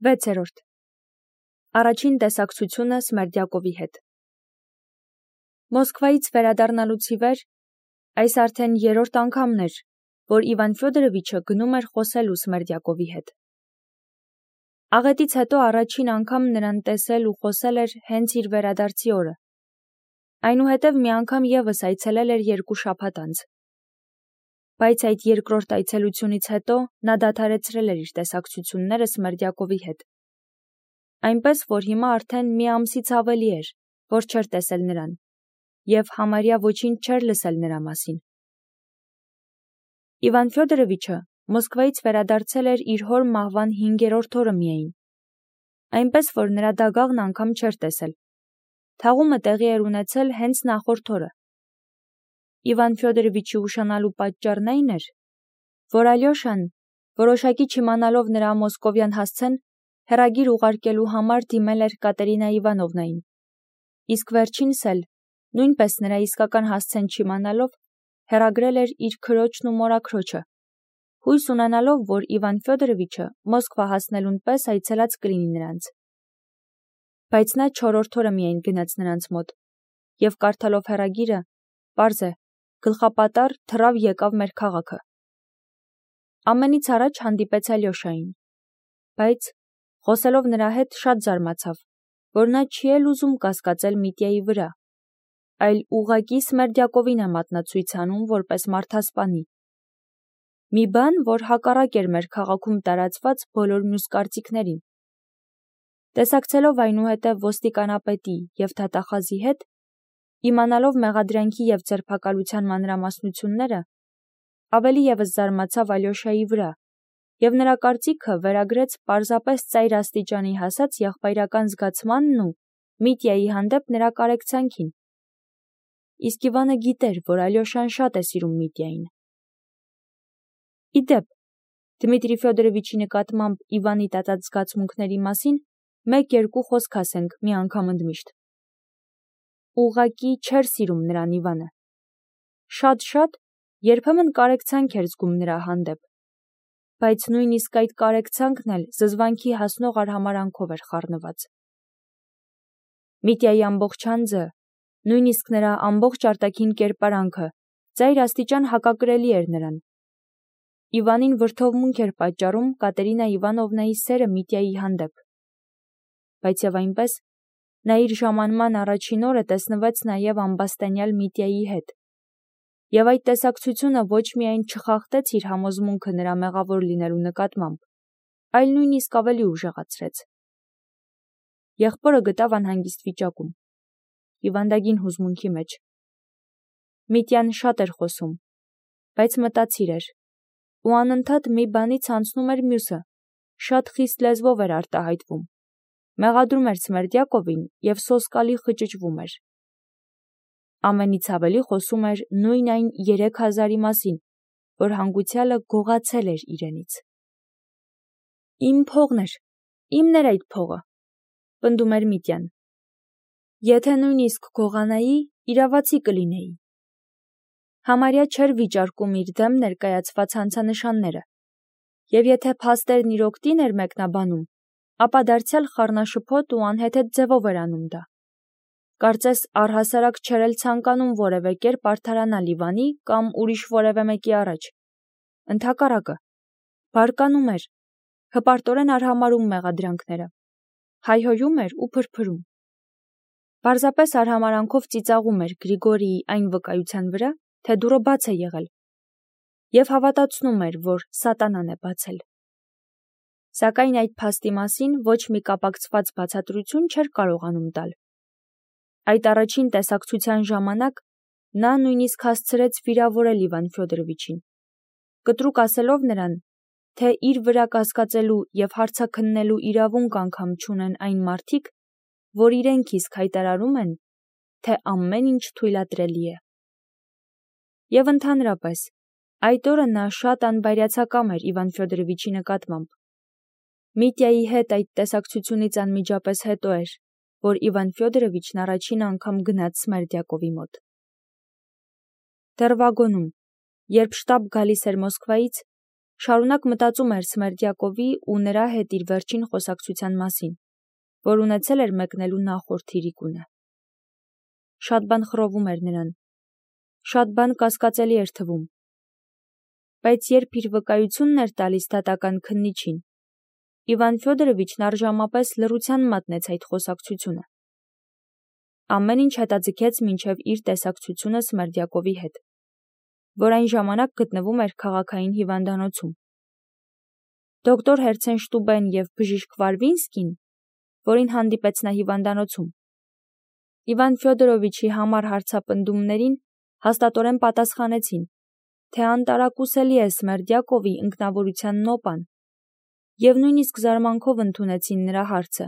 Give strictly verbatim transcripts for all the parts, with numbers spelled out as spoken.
վեցերորդ. Առաջին տեսակցությունը Սմերդյակովի հետ։ Մոսկվայից վերադառնալուց ի վեր այս արդեն երրորդ անգամն էր, որ Իվան Ֆյոդորովիչը գնում էր խոսելու Սմերդյակովի հետ։ Աղետից հետո առաջին անգամ նրան տեսել ու խոսել էր հենց իր վերադարձի օրը։ Այնուհետև մի անգամ ևս այցելել էր երկու շաբաթ անց։ Բայց այդ երկրորդ այցելությունից հետո նա դադարեցրել էր իր տեսակցությունները Սմերդյակովի հետ։ Այնպես, որ հիմա արդեն մի ամսից ավելի էր, որ չէր տեսել նրան, և համարյա ոչինչ չէր լսել նրա մասին։ Իվան Ֆյոդորովիչը Մոսկվայից վերադարձել էր իր հոր մահվան հինգերորդ օրը միայն, այնպես, որ նրա դագաղն անգամ չէր տեսել։ Թաղումը տեղի էր ունեցել հենց նախորդ օրը։ Իվան Ֆյոդորովիչի ուշանալու պատճառն այն էր, որ Ալյոշան, որոշակի չիմանալով նրա մոսկովյան հասցեն, հեռագիր ուղարկելու համար դիմել էր Կատերինա Իվանովնային, իսկ վերջինս էլ, նույնպես նրա իսկական հասցեն չիմանալով, հեռագրել էր իր քրոջն ու մորաքրոջը, հույս ունենալով, որ Իվան Ֆյոդորովիչը Մոսկվա հասնելուն պես այցելած կլինի նրանց։ Բայց նա չորրորդ օրը միայն գնաց նրանց մոտ, և կարդալով հեռագիրը, պարզ է, գլխապատառ թռավ եկավ մեր քաղաքը։ Ամենից առաջ հանդիպեց Ալյոշային, բայց, խոսելով նրա հետ, շատ զարմացավ, որ նա չի էլ ուզում կասկածել Միտյայի վրա, այլ ուղղակի Սմերդյակովին է մատնացույց անում որպես մարդասպանի։ Մի բան, որ հակառակ էր մեր քաղաքում տարածված բոլոր մյուս կարծիքներին։ Տեսակցելով այնուհետև ոստիկանապետի և դատախազի հետ, իմանալով մեղադրանքի և ձերբակալության մանրամասնությունները, ավելի ևս զարմացավ Ալյոշայի վրա, և նրա կարծիքը վերագրեց պարզապես ծայր աստիճանի հասած եղբայրական զգացմանն ու Միտյայի հանդեպ նրա կարեկցանքին։ Իսկ Իվանը գիտեր, որ Ալյոշան շատ է սիրում Միտյային։ Ի դեպ, Դմիտրի Ֆյոդորովիչի նկատմամբ Իվանի տածած զգացմունքների մասին մեկ-երկու խոսք ասենք մի անգամ ընդմիշտ։ Ուղղակի չէր սիրում նրան Իվանը։ Շատ-շատ երբեմն կարեկցանք էր զգում նրա հանդեպ, բայց նույնիսկ այդ կարեկցանքն էլ զզվանքի հասնող արհամարհանքով էր խառնված։ Միտյայի ամբողջ անձը, նույնիսկ նրա ամբողջ արտաքին կերպարանքը ծայր աստիճան հակակրելի էր նրան։ Իվանին վրդովմունք էր պատճառում Կատերինա Իվանովնայի սերը Միտյայի հանդեպ։ Բայց և այնպես, նա իր ժամանման առաջին օրը տեսնվեց նաև ամբաստանյալ Միտյայի հետ, և այդ տեսակցությունը ոչ միայն չխախտեց իր համոզմունքը նրա մեղավոր լինելու նկատմամբ, այլ նույնիսկ ավելի ուժեղացրեց։ Եղբորը գտավ անհանգիստ վիճակում, հիվանդագին հուզմունքի մեջ։ Միտյան շատ էր խոսում, բայց մտածիր էր, ու անընդհատ մի բանից անցնում էր մյուսը, շատ խիստ լեզվով էր արտահայտվում, մեղադրում էր Սմերդյակովին և սոսկալի խճճվում էր։ Ամենից ավելի խոսում էր նույն այն երեք հազարի մասին, որ հանգուցյալը գողացել էր իրենից։ Իմ փողն էր, իմն էր այդ փողը, պնդում էր Միտյան։ Եթե նույնիսկ գողանայի, իրավացի կլինեի։ Համարյա չէր վիճարկում իր դեմ ներկայացված հանցանշանները, և եթե փաստերն իր օգտին էր մեկնաբանում, ապա դարձյալ խառնաշփոթ ու անհեթեթ ձևով էր անում դա։ Կարծես առհասարակ չէր էլ ցանկանում որևէ կերպ արդարանալ Իվանի կամ ուրիշ որևէ մեկի առաջ։ Ընդհակառակը, բարկանում էր, հպարտորեն արհամարհում մեղադրանքները, հայհոյում էր ու փրփրում։ Պարզապես արհամարհանքով ծիծաղում էր Գրիգորիի այն վկայության վրա, թե դուռը բաց է եղել, և հավատացնում էր, որ սատանան է բացել։ Սակայն այդ փաստի մասին ոչ մի կապակցված բացատրություն չէր կարողանում տալ։ Այդ առաջին տեսակցության ժամանակ նա նույնիսկ հասցրեց վիրավորել Իվան Ֆյոդորովիչին, կտրուկ ասելով նրան, թե իր վրա կասկածելու և հարցաքննելու իրավունք անգամ չունեն այն մարդիկ, որ իրենք իսկ հայտարարում են, թե ամեն ինչ թույլատրելի է։ Եվ ընդհանրապես, այդ օրը նա շատ անբայրացակամ էր Իվան Ֆյոդորովիչի նկատմամբ։ Միտյայի հետ այդ տեսակցությունից անմիջապես հետո էր, որ Իվան Ֆյոդորովիչն առաջին անգամ գնաց Սմերդյակովի մոտ։ Դեռ վագոնում, երբ շտապ գալիս էր Մոսկվայից, Շարունակ մտածում էր Սմերդյակովի ու նրա հետ իր վերջին խոսակցության մասին, որ ունեցել էր մեկնելու նախորդ իրիկունը։ Շատ բան խռովում էր նրան, շատ բան կասկածելի էր թվում, բայց երբ իր վկայությունն էր տալիս դատական քննիչին, Իվան Ֆյոդորովիչն առժամապես լռության մատնեց այդ խոսակցությունը։ Ամեն ինչ հետաձգեց մինչև իր տեսակցությունը Սմերդյակովի հետ, որ այն ժամանակ գտնվում էր քաղաքային հիվանդանոցում։ Դոկտոր Հերցենշտուբեն և բժիշկ Վարվինսկին, որին հանդիպեց նա հիվանդանոցում, Իվան Ֆյոդորովիչի համար հարցապնդումներին հաստատորեն պատասխանեցին, թե անտարակուսելի է Սմերդյակովի ինքնավորության նոպան, և նույնիսկ զարմանքով ընդունեցին նրա հարցը.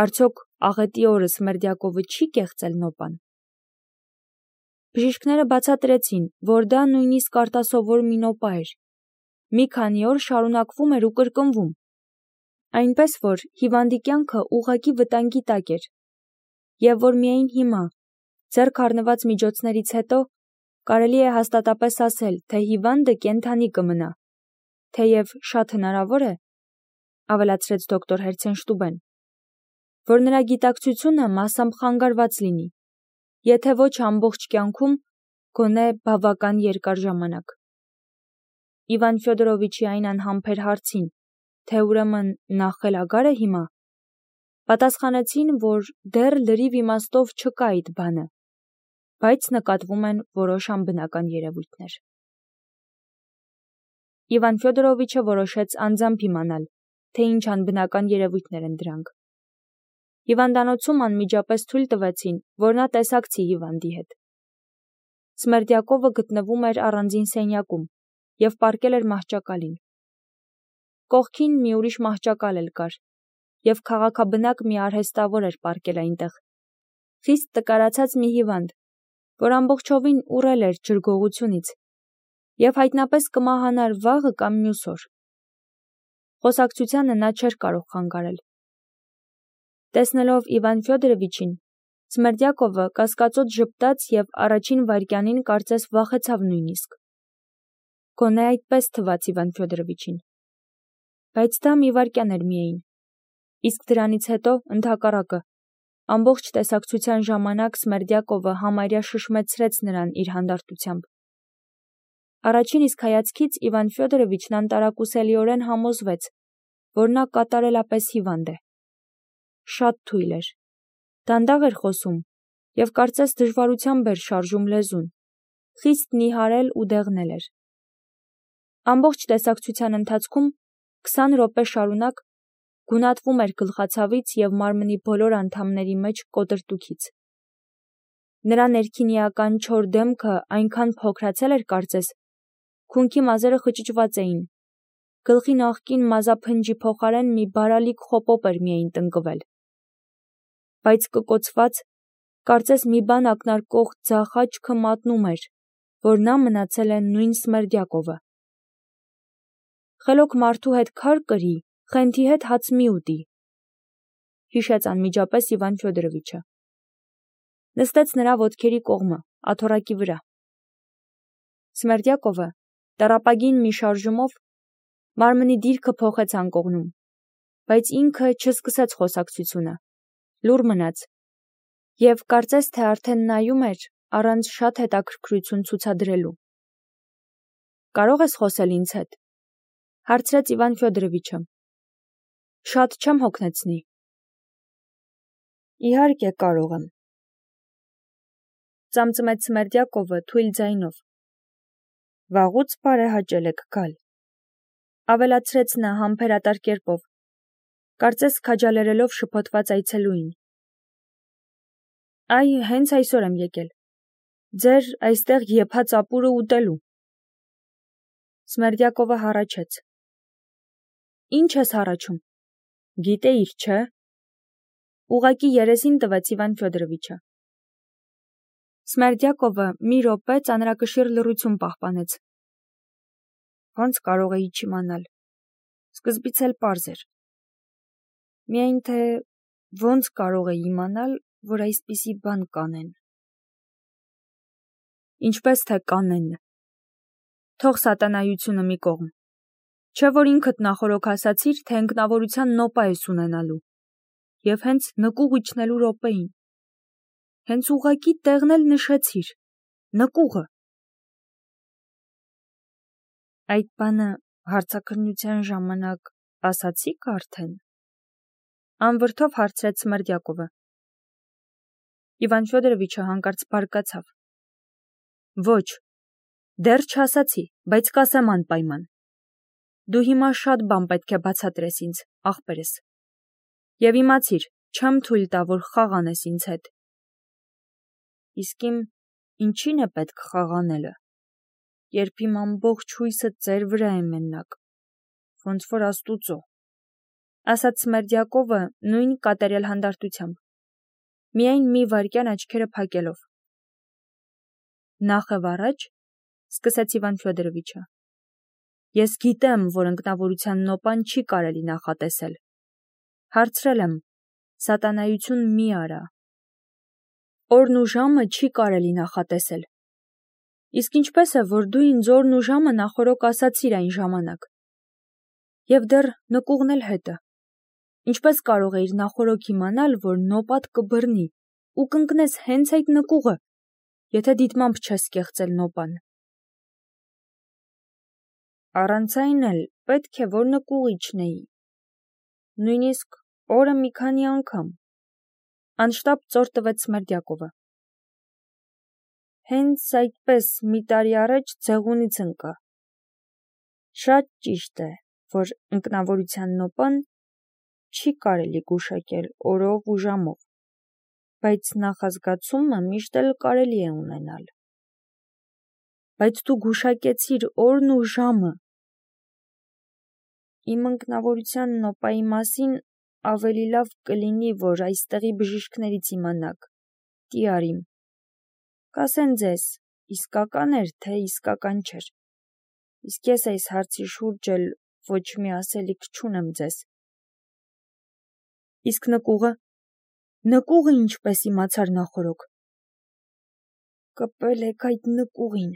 արդյոք աղետի օրը Սմերդյակովը չի կեղծել նոպան։ Բժիշկները բացատրեցին, որ դա նույնիսկ արտասովոր մի նոպա էր, մի քանի օր շարունակվում էր ու կրկնվում, այնպես որ հիվանդի կյանքը ուղղակի վտանգի տակ էր, և որ միայն հիմա, ձեռք առնված միջոցներից հետո, կարելի է հաստատապես ասել, թե հիվանդը կենդանի կմնա, թեև շատ հնարավոր է, ավելացրեց դոկտոր Հերցենշտուբեն, որ նրա գիտակցությունը մասամբ խանգարված լինի, եթե ոչ ամբողջ կյանքում, գոնե բավական երկար ժամանակ։ Իվան Ֆյոդորովիչի այն անհամբեր հարցին, թե ուրեմն նա խելագար է հիմա, պատասխանեցին, որ դեռ լրիվ իմաստով չկա այդ բանը, բայց նկատվում են որոշ անբնական երևույթներ։ Իվան Ֆյոդորովիչը որոշեց անձամբ իմանալ, թե ինչ անբնական երևույթներ են դրանք։ Հիվանդանոցում անմիջապես թույլ տվեցին, որ նա տեսակցի հիվանդի հետ։ Սմերդյակովը գտնվում էր առանձին սենյակում և պառկել էր մահճակալին։ Կողքին մի ուրիշ մահճակալ էլ կար, և քաղաքաբնակ մի արհեստավոր էր պառկել այնտեղ, խիստ տկարացած մի հիվանդ, որ ամբողջովին ուռել էր ջրգողությունից և հայտնապես կմահանար վաղը կամ մյուս օր։ Խոսակցությանը նա չէր կարող խանգարել։ Տեսնելով Իվան Ֆյոդորովիչին, Սմերդյակովը կասկածոտ ժպտաց և առաջին վայրկյանին կարծես վախեցավ նույնիսկ։ Գոնե այդպես թվաց Իվան Ֆյոդորովիչին։ Բայց դա մի վայրկյան էր միայն, իսկ դրանից հետո, ընդհակառակը, ամբողջ տեսակցության ժամանակ Սմերդյակովը համարյա շշմեցրեց նրան իր հանդարտությամբ։ Առաջին իսկ հայացքից Իվան Ֆյոդորովիչն անտարակուսելիորեն համոզվեց, որ նա կատարելապես հիվանդ է։ Շատ թույլ էր, դանդաղ էր խոսում և կարծես դժվարությամբ էր շարժում լեզուն, խիստ նիհարել ու դեղնել էր։ Ամբողջ տեսակցության ընթացքում քսան րոպե շարունակ գունատվում էր գլխացավից և մարմնի բոլոր անդամների մեջ կոտրտուքից։ Նրա ներքինիական չոր դեմքը այնքան փոքրացել էր կարծես, քունքի մազերը խճճված էին, գլխի նախկին մազափնջի փոխարեն մի բարալիկ խոպոպ էր միայն տնկվել։ Բայց կկոցված, կարծես մի բան ակնարկող ձախ աչքը մատնում էր, որ նա մնացել է նույն Սմերդյակովը։ Խելոք մարդու հետ քար կրի, խենթի հետ հաց մի ուտի, հիշեց անմիջապես Իվան Ֆյոդորովիչը։ Նստեց նրա ոտքերի կողմը, աթոռակի վրա։ Սմերդյակովը, տառապագին մի շարժումով, մարմնի դիրքը փոխեց անկողնում, բայց ինքը չսկսեց խոսակցությունը, լուռ մնաց և կարծես թե արդեն նայում էր առանց շատ հետաքրքրություն ցուցադրելու։ Կարո՞ղ ես խոսել ինձ հետ, հարցրեց Իվան Ֆյոդորովիչը։ Շատ չեմ հոգնեցնի։ Իհարկե կարող եմ, ծամծմեց Սմերդյակովը թույլ ձայնով։ Վաղուց բարեհաճել եք գալ, ավելացրեց նա համբերատար կերպով, կարծես քաջալերելով շփոթված այցելուին։ Այ հենց այսօր եմ եկել, ձեր այստեղ եփած ապուրը ուտելու։ Սմերդյակովը հառաչեց։ Ինչ ես հառաչում, գիտեիր, չէ՞։ Ուղղակի երեսին տվեց Իվան Ֆյոդորովիչը։ Սմերդյակովը մի րոպե ծանրակշիռ լռություն պահպանեց։ Ոնց կարող էի չիմանալ, սկզբից էլ պարզ էր։ Միայն թե ոնց կարող էի իմանալ, որ այսպիսի բան կանեն։ Ինչպես թե կանեն։ Թող սատանայությունը մի կողմ, Չէ որ ինքդ նախորոք ասացիր, թե ընկնավորության նոպա ես ունենալու, և հենց նկուղ իջնելու րոպեին, հենց ուղղակի տեղն էլ նշեցիր, նկուղը։ Այդ բանը հարցաքննության ժամանակ ասացիք արդեն, անվրդով հարցրեց Սմերդյակովը։ Իվան Ֆյոդորովիչը հանկարծ բարկացավ։ Ոչ, դեռ չասացի, բայց կասեմ անպայման։ Դու հիմա շատ բան պետք է բացատրես ինձ, ախպերս։ Եվ իմացիր, չեմ թույլ տա, որ խաղանես ինձ հետ։ Իսկ իմ ինչին է պետք խաղանելը, երբ իմ ամբողջ հույսը ձեր վրա է մենակ, ոնց որ Աստուծո, ասաց Սմերդյակովը նույն կատարյալ հանդարտությամբ, միայն մի վայրկյան աչքերը փակելով։ Նախև առաջ, սկսեց Իվան Ֆյոդորովիչը, ես գիտեմ, որ ընկնավորության նոպան չի կարելի նախատեսել։ Հարցրել եմ, սատանայություն մի արա։ Օրն ու ժամը չի կարելի նախատեսել։ Իսկ ինչպես է, որ դու ինձ օրն ու ժամը նախորոք ասացիր այն ժամանակ։ Եվ դեռ նկուղն էլ հետը։ Ինչպես կարող էիր նախորոք իմանալ, որ նոպատ կբռնի ու կընկնես հենց այդ նկուղը, եթե դիտմամբ չես կեղծել նոպան։ Առանց այն էլ պետք է, որ նկուղ իջնեի։ Նույնիսկ օրը մի քանի անգամ, անշտապ ծոր տվեց Սմերդյակովը։ Հենց այդպես մի տարի առաջ ձեղունից ընկա։ Շատ ճիշտ է, որ ընկնավորության նոպան չի կարելի գուշակել օրով ու ժամով, բայց նախազգացումը միշտ էլ կարելի է ունենալ։ Բայց դու գուշակեցիր օրն ու ժամը։ Իմ ընկնավորության նոպայի մասին ավելի լավ կլինի, որ այստեղի բժիշկներից իմանաք, տիարիմ։ Կասեն ձեզ, իսկական էր, թե իսկական չէր։ Իսկ ես այս հարցի շուրջ էլ ոչ մի ասելիք չունեմ ձեզ։ Իսկ նկուղը, նկուղը ինչպես իմացար նախորոք։ Կպել եք այդ նկուղին։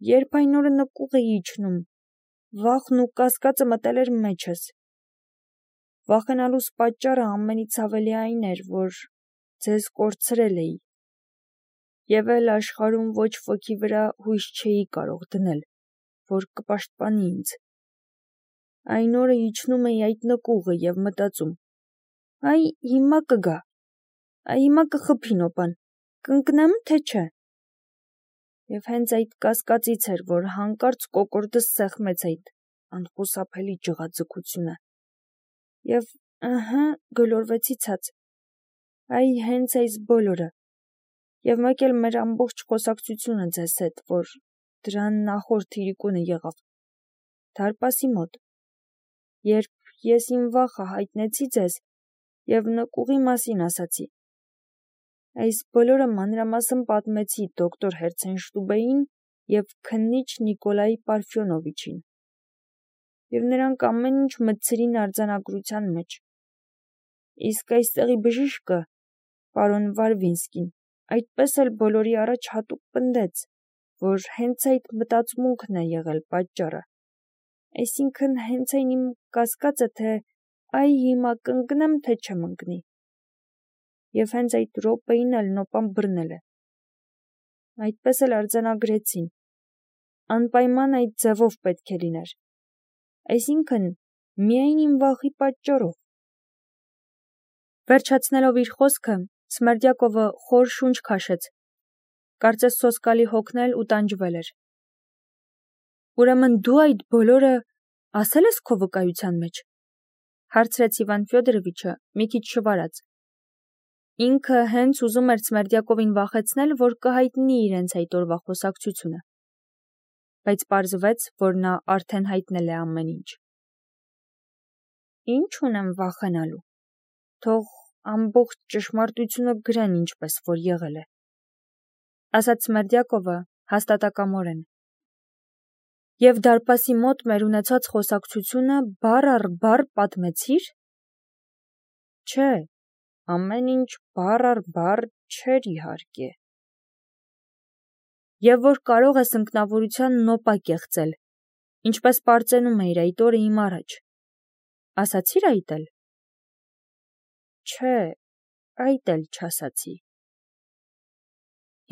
Երբ այն օրը նկուղ էի իջնում, վախն ու կասկածը մտել էր մեջս։ Վախենալուս պատճառը ամենից ավելի այն էր, որ ձեզ կորցրել էի, և էլ աշխարհում ոչ ոքի վրա հույս չէի կարող դնել, որ կպաշտպանի ինձ։ Այն օրը իջնում էի այդ նկուղը և մտածում. այ հիմա կգա, այ հիմա կխփի նոպան, կընկնեմ, թե չէ։ Եվ հենց այդ կասկածից էր, որ հանկարծ կոկորդս սեղմեց այդ անխուսափելի ջղաձգությունը։ Եվ ըհը, գլորվեցի ցած։ Այ հենց այս բոլորը։ Եվ մեկ էլ մեր ամբողջ խոսակցությունը ձեզ հետ, որ դրան նախորդ իրիկունը եղավ, դարպասի մոտ, երբ ես իմ վախը հայտնեցի ձեզ և նկուղի մասին ասացի։ Այս բոլորը մանրամասն պատմեցի դոկտոր Հերցենշտուբեին և քննիչ Նիկոլայ Պարֆյոնովիչին։ Եվ նրանք ամեն ինչ մտցրին արձանագրության մեջ։ Իսկ այստեղի բժիշկը, պարոն Վարվինսկին, այդպես էլ բոլորի առաջ հատուկ պնդեց, որ հենց այդ մտածմունքն է եղել պատճառը։ Այսինքն հենց այն իմ կասկածը, թե այ հիմա կընկնեմ, թե չեմ ընկնի։ Եվ հենց այդ րոպեին էլ նոպան բռնել է։ Այդպես էլ արձանագրեցին։ Անպայման այդ ձևով պետք է լիներ։ Այսինքն միայն իմ վախի պատճառով։ Վերջացնելով իր խոսքը, Սմերդյակովը խոր շունչ քաշեց։ Կարծես սոսկալի հոգնել ու տանջվել էր։ Ուրեմն դու այդ բոլորը ասել ես քո վկայության մեջ, հարցրեց Իվան Ֆյոդորովիչը մի քիչ շվարած։ Ինքը հենց ուզում էր Սմերդյակովին վախեցնել, որ կհայտնի իրենց այդ օրվա խոսակցությունը։ Բայց պարզվեց, որ նա արդեն հայտնել է ամեն ինչ։ Ինչ ունեմ վախենալու։ Թող ամբողջ ճշմարտությունը գրեն ինչպես որ եղել է, ասաց Սմերդյակովը հաստատակամորեն։ Եվ դարպասի մոտ մեր ունեցած խոսակցությունը բառ առ բառ պատմեցիր։ Չէ, ամեն ինչ բառ առ բառ չէր իհարկե։ Եվ որ կարող ես ընկնավորության նոպա կեղծել, Ինչպես պարծենում էիր այդ օրը իմ առաջ։ Ասացի՞ր այդ էլ։ Չէ, այդ էլ չասացի։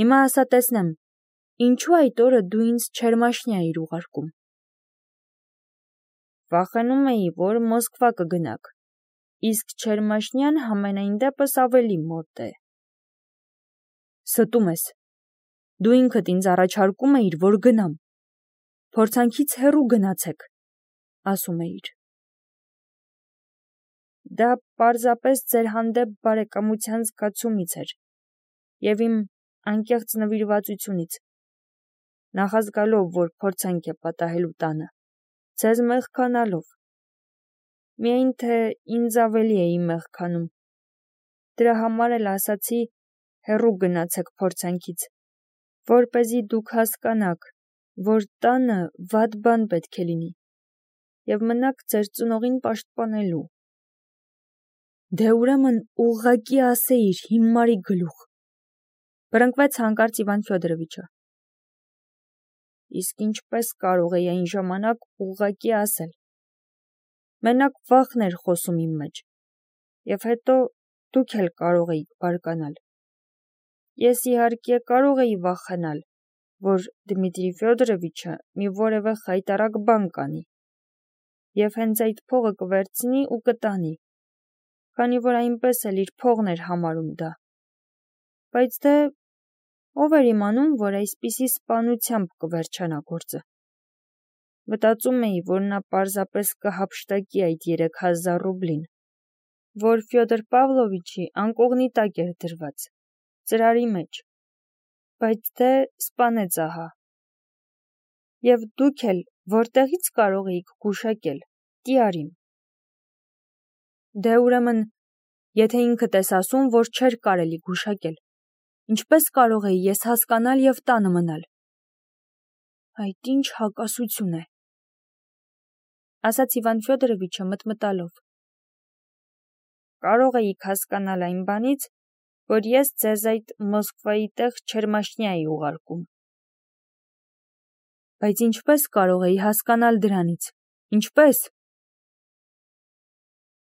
Հիմա ասա տեսնեմ, ինչու այդ օրը դու ինձ Չերմաշնիա էիր ուղարկում։ Վախենում էի, որ Մոսկվա կգնաք, իսկ Չերմաշնյան համենայն դեպս ավելի մոտ է։ Ստում ես։ Դու ինքդ ինձ առաջարկում էիր, որ գնամ։ Փորձանքից հեռու գնացեք, ասում էիր։ Դա պարզապես ձեր հանդեպ բարեկամության զգացումից էր և իմ անկեղծ նվիրվածությունից, նախազգալով, որ փորձանք է պատահելու տանը, ձեզ մեղքանալով։ Միայն թե ինձ ավելի էի մեղքանում։ Դրա համար էլ ասացի հեռու գնացեք փորձանքից, որպեսզի դուք հասկանաք, որ տանը վատ բան պետք է լինի և մնաք ձեր ծնողին պաշտպանելու։ Դե ուրեմն ուղղակի ասեիր հիմարի գլուխ, բռնկվեց հանկարծ Իվան Ֆյոդորովիչը։ Իսկ ինչպես կարող էի այն ժամանակ ուղղակի ասել։ Մենակ վախն էր խոսում իմ մեջ, և հետո դուք էլ կարող էիք բարկանալ։ Ես իհարկե կարող էի վախենալ, որ Դմիտրի Ֆյոդորովիչը մի որևէ խայտառակ բան կանի, և հենց այդ փողը կվերցնի ու կտանի, քանի որ այնպես էլ իր փողն էր համարում դա։ Բայց դե ով էր իմանում, որ այսպիսի սպանությամբ կվերջանա գործը։ Մտածում էի, որ նա պարզապես կհափշտակի այդ երեք հազար ռուբլին, որ Ֆյոդոր Պավլովիչի անկողնի տակ էր դրված, ծրարի մեջ, բայց դե սպանեց ահա։ Եվ դուք էլ որտեղի՞ց կարող էիք գուշակել, Տիարիմ։ Դե ուրեմն, եթե ինքդ ես ասում, որ չէր կարելի գուշակել, ինչպես կարող էի ես հասկանալ և տանը մնալ։ Այդ ինչ հակասություն է, ասաց Իվան Ֆյոդորովիչը մտմտալով։ Կարող էիք հասկանալ այն բանից, որ ես ձեզ այդ Մոսկվայի տեղ Չերմաշնիա էի ուղարկում։ Բայց ինչպես կարող էի հասկանալ դրանից, ինչպես։